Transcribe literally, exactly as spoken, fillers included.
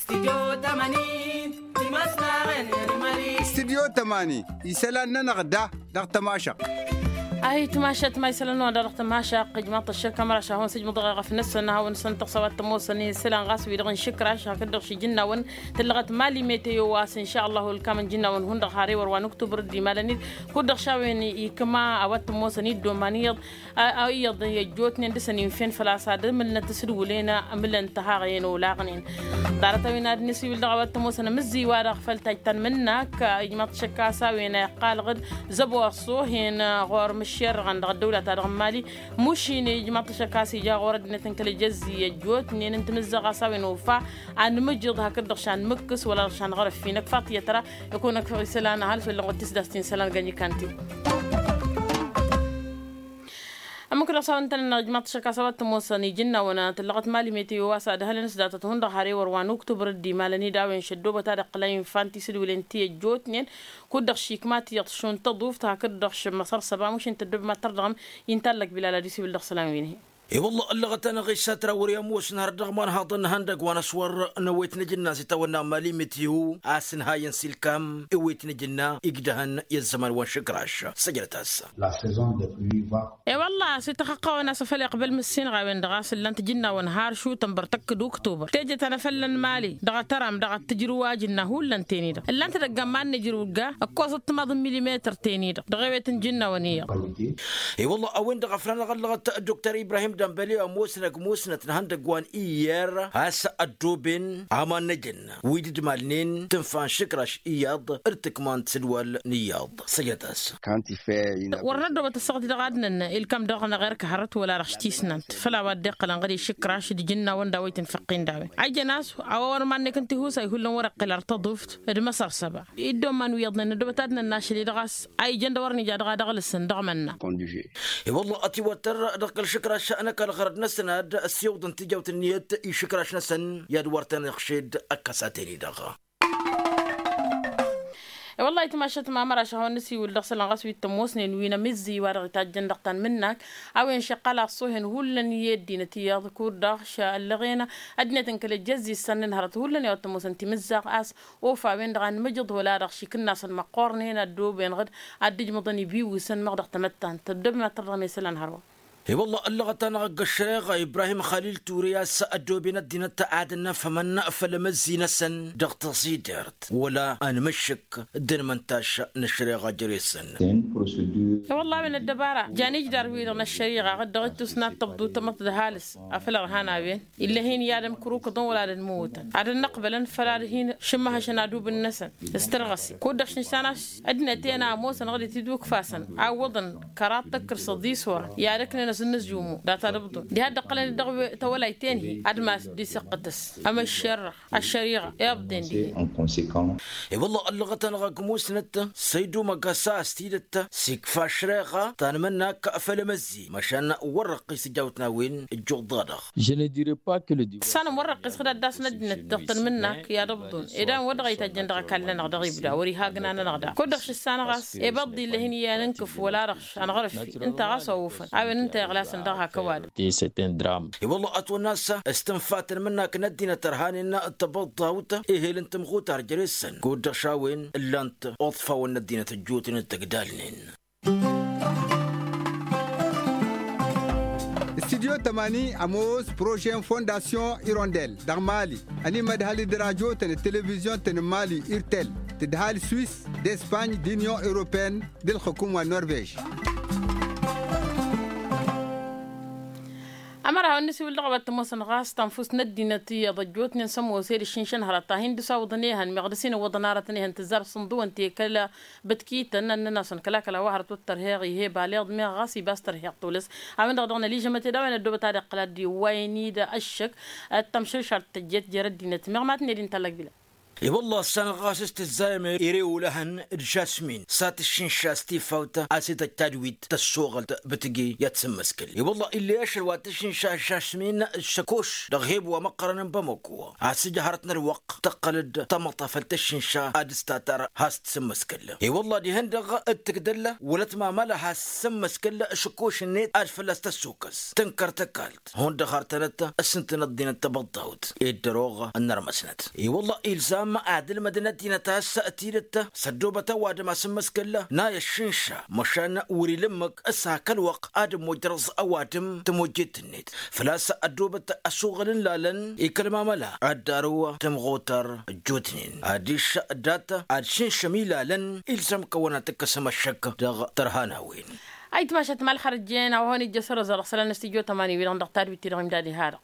Stidyo tămani isălan-nănăɣ da dăɣ-tămašăɣt. Ayǝtmašăt ma isălan-nănăɣ da dăɣ-tămašăɣt ijmaḍ-t ăššăk ămăraš ad-hawăn-sǝjmǝḍ ɣef năsăn ad-hawăn-săn tăɣsawat tămoosăn isălan ɣas wi-dăɣ n-išǝkraš hakd-dăɣ šijǝnnawăn tǝllăɣăt mali meteo a-s inša ăllahu ǝlkam n-ijǝnnawăn hundăɣ har ewăr wa n-uktubăr dd-imalăn-dd. Kud-dăɣ šawen ikma a-wa t-ămoosăn iddoman iyyăḍ iyyăḍ i-ăjjootnen dăr-săn infen făl-a-s ad-ămǝlnăt s-ǝdwǝlen ămǝlăn tăhaɣăyăn olaɣnen. Ḍarăt-a-wen ad-nǝsiwǝl dăɣ-a-wa t-ămoosăn amǝzziy-wa-dăɣ făll-tajjăn mǝnnak ijmaḍ-t šăkk a-s a-wen a iqqalăɣ-dd zăbo ăṣṣohen ɣur-imǝššerrăɣăn dăɣ-ăddăwla-ta-dăɣ n-mali. Mušin ijmaḍ-t šăkk a-s ija ɣur-ăddinăt n-kăl-ejăzzi ăjjootnen n-timǝzzaɣ a-s a-wen ofa anmǝjǝḍ hakd-dăɣ š-anmǝkkǝs wăla-dăɣ š-anɣărăf-i năkk faḍt iyyăt ra. Ikun-ăkk isălan ăhalǝs wăla n-tisdast-i n-isălan gănj ikanti. Ămmǝk-dăɣ s-a-wen tăn-ănna ijmaḍ-t šăkk a-s a-wa t-ămoosăn ijǝnnawăn tǝllăɣăt mali meteo a-s ad-ăhalăn s-datăt hundăɣ har ewăr wa n-uktubăr dd-imalăn-dd a-wen šăddobăt ad-ăqqǝla infa n-tisǝdwǝlen ti ăjjootnen. Kud-dăɣ šikma tiyyăḍ šund tăḍuft hakd-dăɣ šǝmmăsăr săba mušin tăddobem ad-tărdăɣăm. Inta ăllăk bilal ad-isiwǝl dăɣ-isălan-win-hi. E-wălla ăllăɣăt-anăɣ isatra wăr-i ămoosăn hărăt dăɣ-iman haḍăn n-ihăndăgg wa n-ăswăr n-ewet n-ajǝnna s-itawănna n-mali meteo a-s ǝnhayăn s-ilkam ewet n-ajǝnna igdăhăn i-ăzzăman wa n-išǝkraš. Săjdăt-as. E-wălla a-s ităxăqqawăn a-s afăl iqbăl mǝssinăɣ a-wen-dăɣ a-s ǝllan-t ijǝnnawăn har šutănbăr tăkk d-uktubăr teje ta n-afălla n-mali dăɣ-atăram dăɣ-ad-tǝjrǝw ajǝnna hullan-ten-i-dăɣ ǝllan-t edăgg amman n-ejrǝw ǝgga ǝkkoẓăt timaḍ n-milimetăr-ten-i-dăɣ dăɣ-ewet n-ijǝnnawăn iyyăḍ. E-wălla a-wen-dăɣ a făl anăɣ-ăllăɣăt dr ibrahim dănbăle ămoosnăg musnăt n-ihăndăgg wa n-iyyăr a-s ăddooben aman n-ejăn wi dd-malnen tǝnfa n-išǝkraš iyyăḍ d-tǝkma n-tisǝdwal n-iyyăḍ. Săjdăt-as. Wăr năddoobăt ăssaɣăt-i-dăɣ ad-nănna ilkam dăɣ-năɣ erk hărăt wăla dăɣ-s tisnant făll-a-wa dd-iqqălăn ɣǝd išǝkraš d-ijǝnnawăn d-a-wa itǝnfăqqin d-a-wen a ijăn a-s a-wa wăr mannekăn tihusay hullan wăr-iqqǝl ar tăḍuft d-măsăr săba. Iddoman wi iyyăḍnen năddoobăt ad-nănna ašăl-i-dăɣ a-s a ijăn d-a wăr nija dăɣ-a dăɣ-lǝsăn dăɣ-mănna. I-wălla ătiwăttăr dăɣ-kăl-išǝkraš n-ăkall ɣărăd-năsăn ad-ăssiwǝḍăn tijawt ǝnniyăt i-išǝkraš-năsăn i-ad-wăr tăn-iɣšed ăkkăs a ten-i-dăɣ. I-wălla itmašăt mamăraš a hawăn-nǝsiwǝl dăɣ-isălan ɣas wi t-ămoosnen wi n-amǝzzi wa dăɣ-itajjăn dăɣ-tanmǝnnak a-wen šăqqal ăṣṣohen hullan i-ăddinăt iyyăḍ kud-dăɣ šăllăɣena ăddinăt n-kăl-ejăzzi s-săn n-hărăt hullan i-a-wa t-ămoosăn timǝzzaɣ a-s ofa a-wen-dăɣ a nǝmǝjǝḍ wăla-dăɣ šikǝnnasăn măqqoornen ăddooben ɣǝd ad-dd-ǝjmăḍăn ibiwǝsăn măɣ dăɣ-tamăttant ăddooben ad-tărdăɣăm i-isălan hărwa. I-wălla ăllăɣăt-anăɣ ăgg-ăššăreɣa ibrahim xalil ture a-s ăddooben ăddinăt ad-ănnăfhămăn făll-amăzzi-năsăn dăɣ-taẓidert wăla anmǝššǝk d-anmăntaš n-ăššăreɣa jere-săn. I-wălla a-wen ăddăbara jan ijdar-wi-dăɣ n-ăššăreɣa ɣǝd-dăɣ ittus n-ad-tăbḍu tamăḍt d-ăhalǝs afăl ărhan a-wen ill'-e-hin i-ad-ămkǝrukǝḍăn wăla ad-ănmǝwǝtăn ad-ănnăqbălăn făll-ad-hin-šǝmmăhăšăn adubǝn-năsăn s-tărɣăse kud-dăɣ šǝnsan a-s ăddinăt-en a ămoosăn ɣǝd itidukfasăn a ǝwwăḍăn kăraḍ tăkkǝr s-ăḍisora i-ad-ǝknen asǝnnǝzjumu data d-ǝbḍǝn diha dd-ǝqqălăn-dd dăɣ-tawălayt-en-hi ad-mas dd-isǝqqǝtăs ămăššerrăɣ ăššăriɣa iḍḍen dihen. I-wălla ăllăɣăt-anăɣ ăgg musnăt săydumăg ăsa s-tidǝt s-ikfa ăššăreɣa ta n-imǝnnak făll-amăzzi măšan wăr-răqqis ijawt n-a-wen ǝjjuḍ-dăɣ. Tǝssanăm wăr-răqqis ɣǝd ad-dd-asǝn ăddinăt dăɣ-tanmǝnnak i-ad-ǝbḍǝn ed a-wen wăr dăɣ-a itajjăn dăɣ-ăkall-nănăɣ dăɣ-ibda wăr-iha agna-nănăɣ daɣ kud-dăɣ šǝssanăɣ a-s ibăḍḍi ill'-e-hin i-ad-nǝnkǝf wăla-dăɣ š-anɣărǝf-i ǝnta ɣas a ofăn a-wen ǝnta iɣlasăn dăɣ-hak ăwadǝm. I-wălla ătwănna a-s s-tǝnfa tanmǝnnak n-ăddinăt ărhanen tăbăḍḍawt ehel n-tămɣutar jere-săn kud-dăɣ šawen ǝllan-t uḍfawăn n-ăddinăt ăjjootnen d-tăgdalnen. Studyo tămani ămoos prože n-fondasyon irondel dăɣ-mali ănimădhăl d-rajotăn d-televizyon-tăn n-mali irtel tǝdhal swis d-espany d-inyon europeyăn d-ǝlxǝkum wa n-norvej. Ămăra hawăn-nǝsiwǝl dăɣ-a-wa t-ămoosăn ɣas tanfust n-ăddinăt iyyăḍ ăjjootnen s-ămoos ed ǝššǝnšăn hărăt ta hin-dăr-s awǝḍăn ehăn meɣ dăr-s inǝwwăḍăn aratăn ehăn tǝzzar s-inḍǝwăn ti kăl-a bǝtkităn ănnăn-asăn kăla-kăla wa hărăt wăr t-ărheɣ ih'-e baleḍ meɣ ɣas ibas tărheɣ tolăs. A-wen-dăɣ dăɣ-nălijămăt ed a-wen ăddoobăt ad-iqqǝl ad-dd-iwwayăn-dd ăššăk d-tamšǝlšalt tăjjeet jer-ăddinăt meɣ ma tǝnned-in tallăg bila. I-wălla ăssanăɣ ɣas s-tǝzzayăm ere olăhăn d-žasmin s-ad-tǝššǝnša s-tifawt a-s ităjj tadwit tăssoɣălt bǝtǝge i-ad-sǝmmăskǝl. I-wălla ill'-e ašăl wa tǝššǝnša žasmin d-šăkoš dăɣ-heb wa măqqărăn n-bamăko a-s ǝja hărăt n-ălwăqq tăqqăl-dd tamăḍt afăl tǝššǝnša ad-ǝstatar has-tǝsǝmmăskǝl. I-wălla dihen-dăɣ d-tǝgdăl wăla tmamăla has-tǝsǝmmăskǝl šăkoš-net ad-fălla-s tăssukăs tǝnkăr tăkalt hundăɣ har tănăt s-ǝntănăt dinăt tăbăḍḍawt ed dăr-oɣ ănnărmăsnăt. I-wălla ilzam ad-ǝlmădăn ăddinăt a-s tidǝt s-ăddoobăt ăwadǝm asǝmmăskăl n-a i-ăššǝnša măšan wăr-ila ǝmmǝk s-hak ălwăqq ad-ămmojrăẓ ăwadǝm tămojjet-net făl-a-s ăddoobăt ăsuɣǝl n-ilalăn ikăl mamăla ad-darǝw tǝmɣutăr ăjjootnen adiš dat-ad-šǝnšăm ilalăn ilzam kăwăn-ad-tǝkkăsăm ăššăk dăɣ-tărhan a-wen. Ayǝtmašat malxărăjjen a-wa hăn-ijjăs ărăẓ dăɣ-isălan n-astijjo tămani-wi-dăɣ dăɣ-tadwit-ti-dăɣ imdad iha-dăɣ.